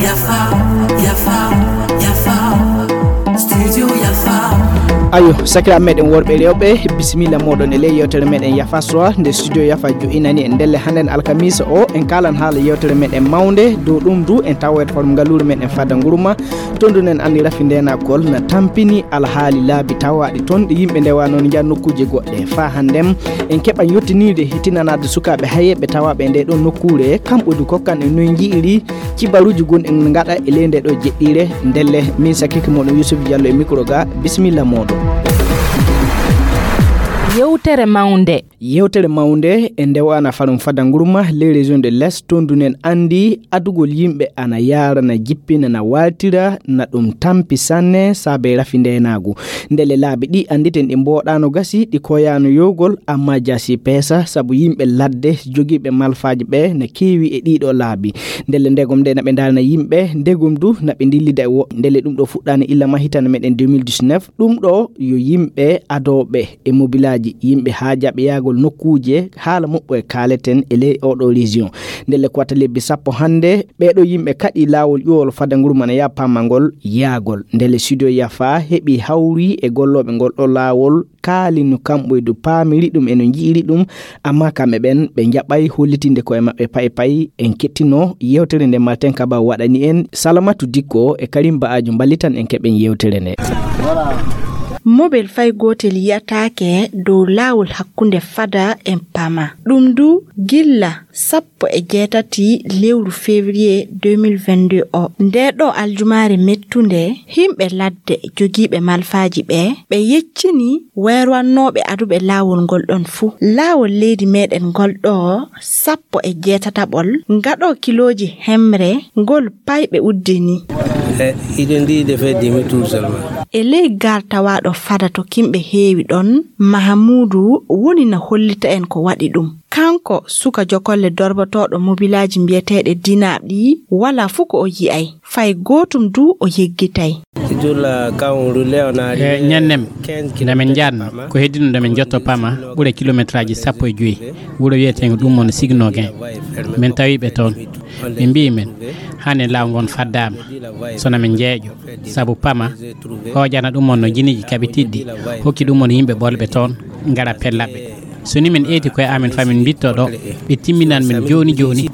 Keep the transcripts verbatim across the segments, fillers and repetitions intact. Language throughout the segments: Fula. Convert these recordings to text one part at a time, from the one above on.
Yafa, Yafa, Yafa, Studio Yafa. Ayo, sakiraaɓe meɗen worɓe e rewɓe, bisimilla moɗon e ley yewtere meɗen Yafa Soir, nde Studio Yafa jo'inani en ndelle hannden alkamisa o, en kaalan haala yewtere meɗen mawnde, dow ɗum du en tawoyat forum ngaluure meɗen Fada Ngurma, tondunen anndi rafi ndenagol na tampini alhaali laabi tawaaɗi toon ɗi yimɓe ndewa noon njaha nokkuuje goɗɗe. Faa hannden en keɓa yottinirde hittinanaade sukaaɓe hayeeɓe tawaaɓe e nde ɗo nokkuure, kamɓe du kokkan en noy nji'iri cibaruuji gonɗi en ngaɗa e ley nde ɗo jeɗɗiire. Ndelle, min sakike moɗon Yusuf Diallo e micro ga, bisimilla moɗon. Yewtere mawnde. Yewtere mawnde e ndewana farum Fada Ngurma, les régions de l'Est, toon du nen anndi adugol yimɓe ana yaara, na jippina, na waaltira, na ɗum tampi sanne saabe rafi ndenaagu. Ndelle laabi ɗi annditen ɗi mbooɗaano gasi, ɗi koyaano yowgol, amma jaasi peesa, sabu yimɓe ladde jogiiɓe malfaaji ɓe na keewi e ɗiɗo laabi. Ndelle ndegom nde na ɓe ndarana yimɓe, ndegom du na ɓe ndillida e woɓɓe. Ndelle ɗum ɗo fuɗɗaani illa mahitana meɗen deux mille dix-neuf. Ɗum ɗo yo yimɓe adooɓe e mobilaaji, yimɓe haajaaɓe yahgol nokkuuje, haala moɓɓo e kaaleten e ley oɗo région. Ndelle ko wata lebbi sappo hannde, ɓeeɗo yimɓe kaɗi laawol ƴuwol Fada Ngurma na yaha pamma ngol yahgol. Ndelle Studio Yafa heɓi hawri e gollooɓe ngol ɗo laawol, kaali no kamɓe du paamiri ɗum e no nji'iri ɗum, amma kamɓe ɓen ɓe njaɓay hollitinde koye maɓɓe pay pay. En kettino yewtere nde Martin Kaba waɗani en, Salamatu Dikko e Karim Ba'ajo mballitan en keɓen yewtere nde. Mobel fay gootel yi'ataake dow laawol hakkunde Fada e Pama. Ɗum du gilla sappo e jeetati lewru février deux mille vingt-deux o. Nde ɗo aljumaare mettunde, himɓe ladde jogiiɓe malfaaji ɓe, ɓe yeccini weerwannooɓe aduɓe laawol ngol ɗon fuu. Laawol leydi meɗen ngol ɗo sappo e jeetataɓol ngaɗo kilooji hemre ngol payɓe uddini. Eh, il est dit de faire demi-tour seulement. E ley gar tawaaɗo Fada to kimɓe heewi ɗon, Mahamuudu woni na hollita en ko waɗi ɗum. Kanko suka jokolle dorbotooɗo mobilaaji mbiyeteeɗe Dinaaɓ ɗi, walaa fuu ko o yi'ay. Fay gootum du o yeggitay. Toujours là, quand on roulait, on a E arrivé ñannem, quinze nde min kilomètres njaatno, Pama. Ko heddino nde min njotto Pama, ɓure kilometraaji sappo e joyi. Wuro wiyeteengo ɗum on Signogen. Min tawi ɓe toon. Ɓe mbi'i min, hannde laawol ngon faddaama. Sona min njeeƴo. Sabu Pama, hoojana ɗum on no jiniiji kaɓitiɗɗi, hokki ɗum on yimɓe ɓolɓe toon, ngara pella ɓe. So ni min eeti koye amin, fa min mbitto ɗo, ɓe timminan min jooni jooni.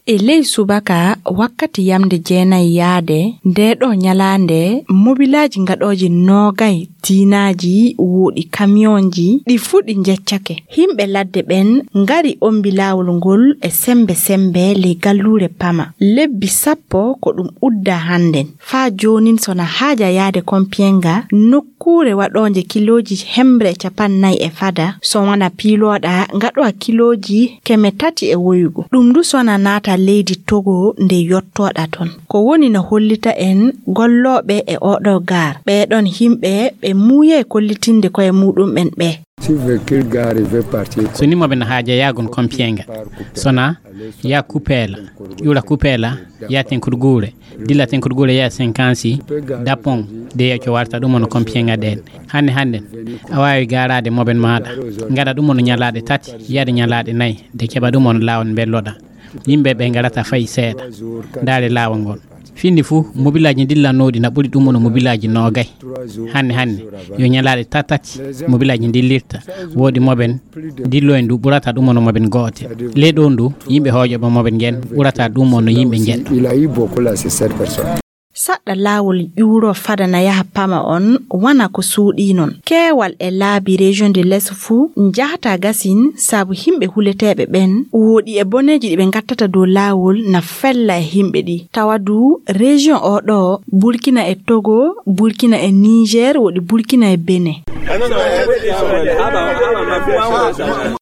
E ley subaka, wakkati yamnde jeenayi yaade, nde ɗo ñalaande, mobilaaji ngaɗooji noogay, diinaaji, wooɗi kamiyonji, ɗi fuu ɗi njeccake. Himɓe ladde ɓen ngari ombi laawol ngol e sembe sembe ley galluure Pama. Lebbi sappo ko ɗum udda hannden. Faa joonin, sona haaja yaade Kompiyenga, nokkuure waɗoonde kilooji hemre capannay e fada, so wona piilooɗa ngaɗowa kilooji keme tati e woyugo. Ɗum du sona naata leydi Togo nde yottooɗa toon. Ko woni no hollita en gollooɓe e oɗo gaar. Ɓee ɗon himɓe ɓe muuyay kollitinde koye muuɗum'en ɓe. Si véhicule gare veut partir. So ni mo ɓen haaja yaagon Kompiyenga. Sona ya Kupela, ƴura Kupela, ya Tenkurgure, dilla Tenkurgure ya Senkansi, Dapong, de yeeco warta ɗum on Kompiyenga ɗen. Hannde hannden, a waawi gaaraade moben maaɗa. Ngaɗa ɗum on ñalaaɗe tati, yaade ñalaaɗe nayi, de keɓa ɗum on laawol mbelloɗa. Yimɓe ɓe ngarata fay seeɗa. Ndaare laawol ngol. Findi fuu, mobilaaji dillannooɗi na ɓuri ɗum on mobilaaji noogay. Hannde hannde, yo ñalaaɗe tatati mobilaaji dillirta. Woodi moben dillo en du ɓurata ɗum on moben goote. Ley ɗon du, yimɓe hooƴoɓe moben ngen ɓurata ɗum on yimɓe njeɗɗo. Il a eu beaucoup là, c'est sept personnes. Saɗɗa laawol ƴuuro fada na yaha Pama on, wana ko suuɗii non. Keewal e laabi région de l'Est fuu njahata gasin, sabu himɓe huleteeɓe ɓen, wooɗi e boneeji ɗi ɓe ngattata dow laawol na fella e himɓe ɗi. Tawa du région o ɗo, Burkina e Togo, Burkina e Niger, woɗi Burkina e Benin.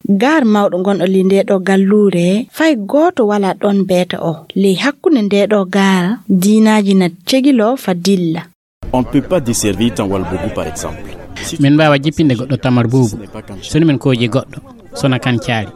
Gaar mawɗo gonɗo ley nde ɗo galluure, fay gooto walaa ɗon beeta o. Ley hakkunde nde ɗo gaar, diinaaji na cegilo fa dilla. On ne peut pas desservir Tanwalbougou, par exemple. Min mbaawa jippinde goɗɗo Tamar Buubu, so ni min kooji goɗɗo, sona kan caali.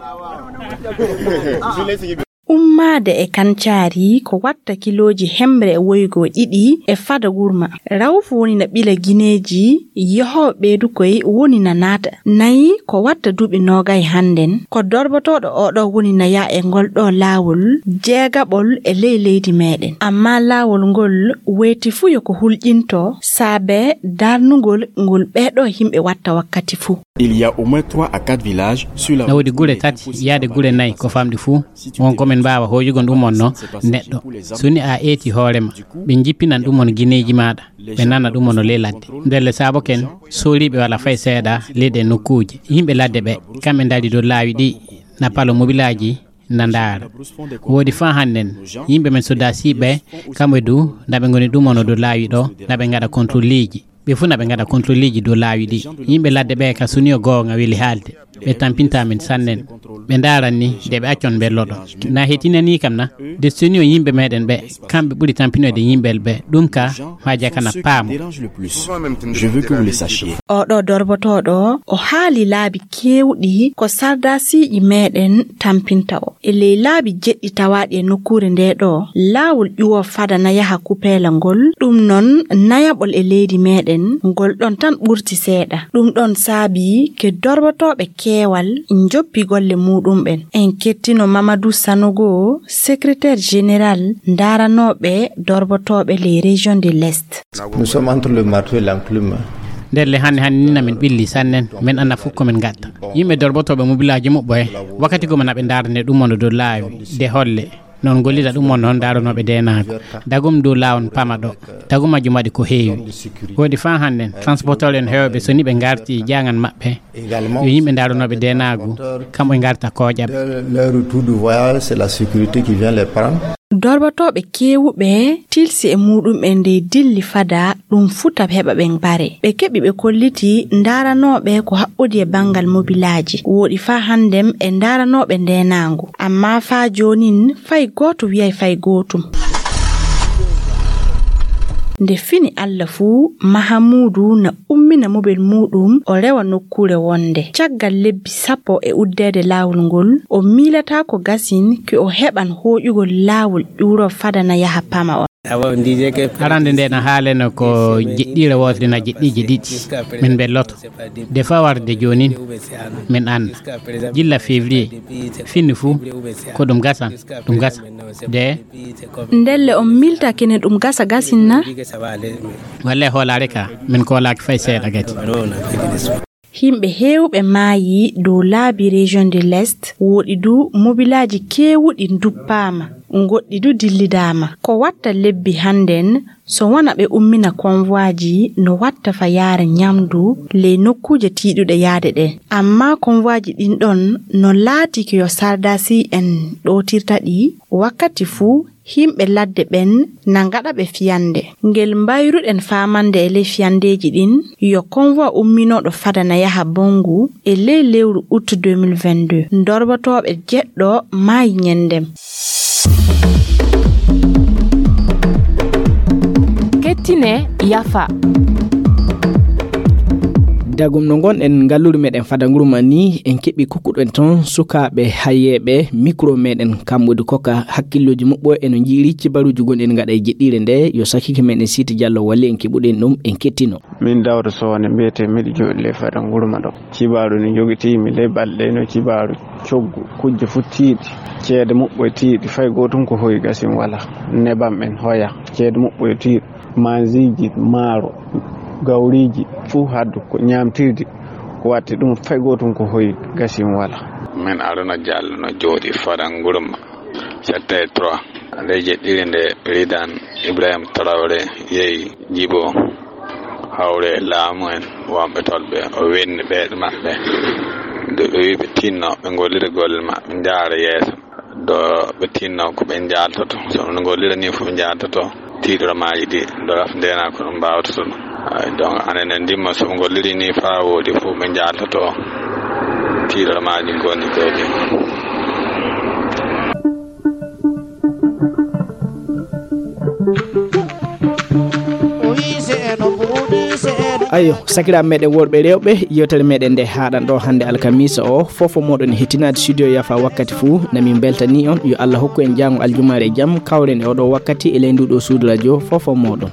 Ummaade e Kancaari ko watta kilooji hemre e woygo ɗiɗi e fada gurma. Rawfu woni na ɓila gineeji, yehooɓe ɓeydukoy woni na naata. Nayi ko watta duuɓi noogay hannden, ko dorbotooɗo oɗo woni na yaa e ngol ɗo laawol jeegaɓol e ley leydi meɗen. Amma laawol ngol weeti fuu yo ko hulƴinto saabe darnugol ngol ɓeeɗo yimɓe watta wakkati fuu. Il y a au moins trois à quatre villages sur la Na woodi gure tati yaade gure nayi ko famɗi fuu. Won ko min mbaawa hooƴugol ɗum on no neɗɗo. So ni a eeti hoore ma, ɓe njippinan ɗum on gineeji maaɗa, ɓe nana ɗum on ley ladde. Ndelle saabo ken sooriiɓe wala fay seeɗa ley ɗe nokkuuje. Yimɓe ladde ɓe, kamɓe ndari dow laawi ɗi, na palo mobilaaji, na ndaara. Woodi faa hannden, yimɓe men soddaasiiɓe, kamɓe du, na ɓe ngoni ɗum on dow laawi ɗo, na ɓe ngaɗa kontrolleeji. Ɓe fuu na ɓe ngaɗa kontrolleeji dow laawi ɗi. Yimɓe ladde ɓe ka suniyo goonga weli haalde. Ɓe tampinta min sannen. Ɓe ndaaran ni de ɓe accon mbelloɗo. Na hetinanii kam na de suniyo yimɓe meɗen ɓe. Kamɓe ɓuri tampinoyde yimɓe ɓe. Ɗum ka maa jakana paamo. Je veux que vous le sachiez. Oɗo dorbotooɗo o haali laabi keewɗi ko sardaasiiji meɗen tampinta o. E ley laabi jeɗɗi tawaaɗi e nokkuure nde ɗo, laawol ƴuwo fada na yaha Kupeela ngol, ɗum noon nayaɓol e leydi meɗen, ngol ɗon tan ɓurti seeɗa. Ɗum ɗon saabi ke dorbotooɓe keewal njoppi golle muuɗumɓen. En kettino Mamadou Sanogo, secrétaire général ndaaranooɓe dorbotooɓe les régions de l'Est. Nous sommes entre le marteau et l'enclume. Ndelle hannde hannde ni na min ɓilli sannen, min annda fof ko min ngatta. Yimɓe dorbotooɓe mobilaaji muɓɓo he, wakkati goma na ɓe ndaarane ɗum on dow laawi, de holle. Noon gollida ɗum on noon ndaaranooɓe deenaago. Dagum dow laawol pama ɗo. Dagum majjum waɗi ko heewi. Woodi faa hannden, transporteur en heewɓe so ni ɓe ngarti jaangan maɓɓe. Yo yimɓe ndaaranooɓe deenaagu, kamɓe ngarta kooƴaɓe. Leur retour du voyage, c'est la sécurité qui vient les prendre. Dorbotooɓe keewuɓe tilsi e muuɗum'en ndey dilli fada ɗum futa heɓa ɓe mbare. Ɓe keɓi ɓe kolliti ndaaranooɓe ko haɓɓodi e banngal mobilaaji. Wooɗi faa hannden e ndaaranooɓe ndeenaangu. Ammaa faa joonin fay gooto wiyay fay gootum. Nde fini Alla fuu, Mahamuudu na ummina mobel muuɗum, o rewa nokkuure wonnde. Caggal lebbi sappo e uddeede laawol ngol, o miilataa ko gasin ki o heɓan hooƴugol laawol ƴuuro fada na yaha pama on. Arande nde na haaleno ko jeɗɗiire wootere na jeɗɗiije ɗiɗi. Min mbelloto. De faa warde joonin, min annda. Gilla février, fini fuu, ko ɗum gasan, ɗum gasa. De. Ndelle on miilta kene ɗum gasa gasin na? Walle hoolaare ka, min koolaaki fay seeɗa gati. Yimɓe heewɓe maayi dow laabi région de l'Est, wooɗi du mobilaaji keewuɗi nduppaama, goɗɗi du dillidaama. Ko watta lebbi hannden, so wona ɓe ummina konvwaaji no watta fa yaara ñamdu ley nokkuuje tiiɗuɗe yaade ɗen. Ammaa konvwaaji ɗin ɗon no laatiki yo sardaasi en ɗootirta ɗi, wakkati fuu yimɓe ladde ɓen na ngaɗa ɓe fiyannde. Ngel mbayruɗen faamande e ley fiyandeeji ɗin, yo konvwa umminooɗo fada na yaha Bonngu e ley lewru ut deux mille vingt-deux. Ndorbatooɓe jeɗɗo maayi ñenndem. Kettine yafa. Dagum no ngonɗen ngalluri meɗen fada nguru ma ni, en keɓi kukkuɗen toon sukaaɓe hayeeɓe micro meɗen, kamɓe du kokka hakkillooji muɓɓo e no njiiri cibaruuji gonɗi en ngaɗa e jeɗɗiire nde. Yo sakike meɗen Siiti Jallo walli en keɓuɗen ɗum, en kettino. Min Dawda Soone mbiyetee, miɗo jooɗi ley fada nguru ma ɗo. Cibaaru ni jogitii mi ley balɗe no cibaaru coggu, kujje fu tiiɗi, ceede muɓɓo e tiiɗi, fay gootum ko hoyi gasin wala. Nebam en hoya, ceede muɓɓo e tiiɗi, manziiji, maaro, gawriiji, fuu haddu ko ñaamtirdi, ko watti ɗum fay gootum ko hoyi gasin wala. Min Aruna Jallo no jooɗi fada nguru ma. Secteur trois. Nde jeɗɗiri nde, Président Ibrahim Traoré yehi jibo hawre laamu en wonɓe tolɓe, o wenni ɓeyɗe maɓɓe. Nde ɓe wi ɓe tinno, ɓe ngollira golle maɓɓe, njaara yeeso. Do ɓe tinno ko ɓe njaaltoto, so ɓe ngollira ni fof ɓe njaaltoto. Tiiɗoro maaji ɗi, ɗo raf ndena ko ɗum mbaawata ɗum. Ay, donc, anen en ndimma so ɓe ngolliri ni faa wooɗi fof ɓe njaaltoto. Tiiɗoro maaji ngoni ɗo ɗi. O wi se eno mbuuɗi, se eno Ayo, sakiraaɓe meɗen worɓe e rewɓe, yewtere meɗen nde haaɗan ɗo hannde alkamisa o, fof o moɗon e hettinaade studio yafa wakkati fuu, na min mbeltani on, yo Allah hokku en jaango aljumaare e jam, kawren e oɗo wakkati e ley ndu ɗo suudu radio, fof o moɗon.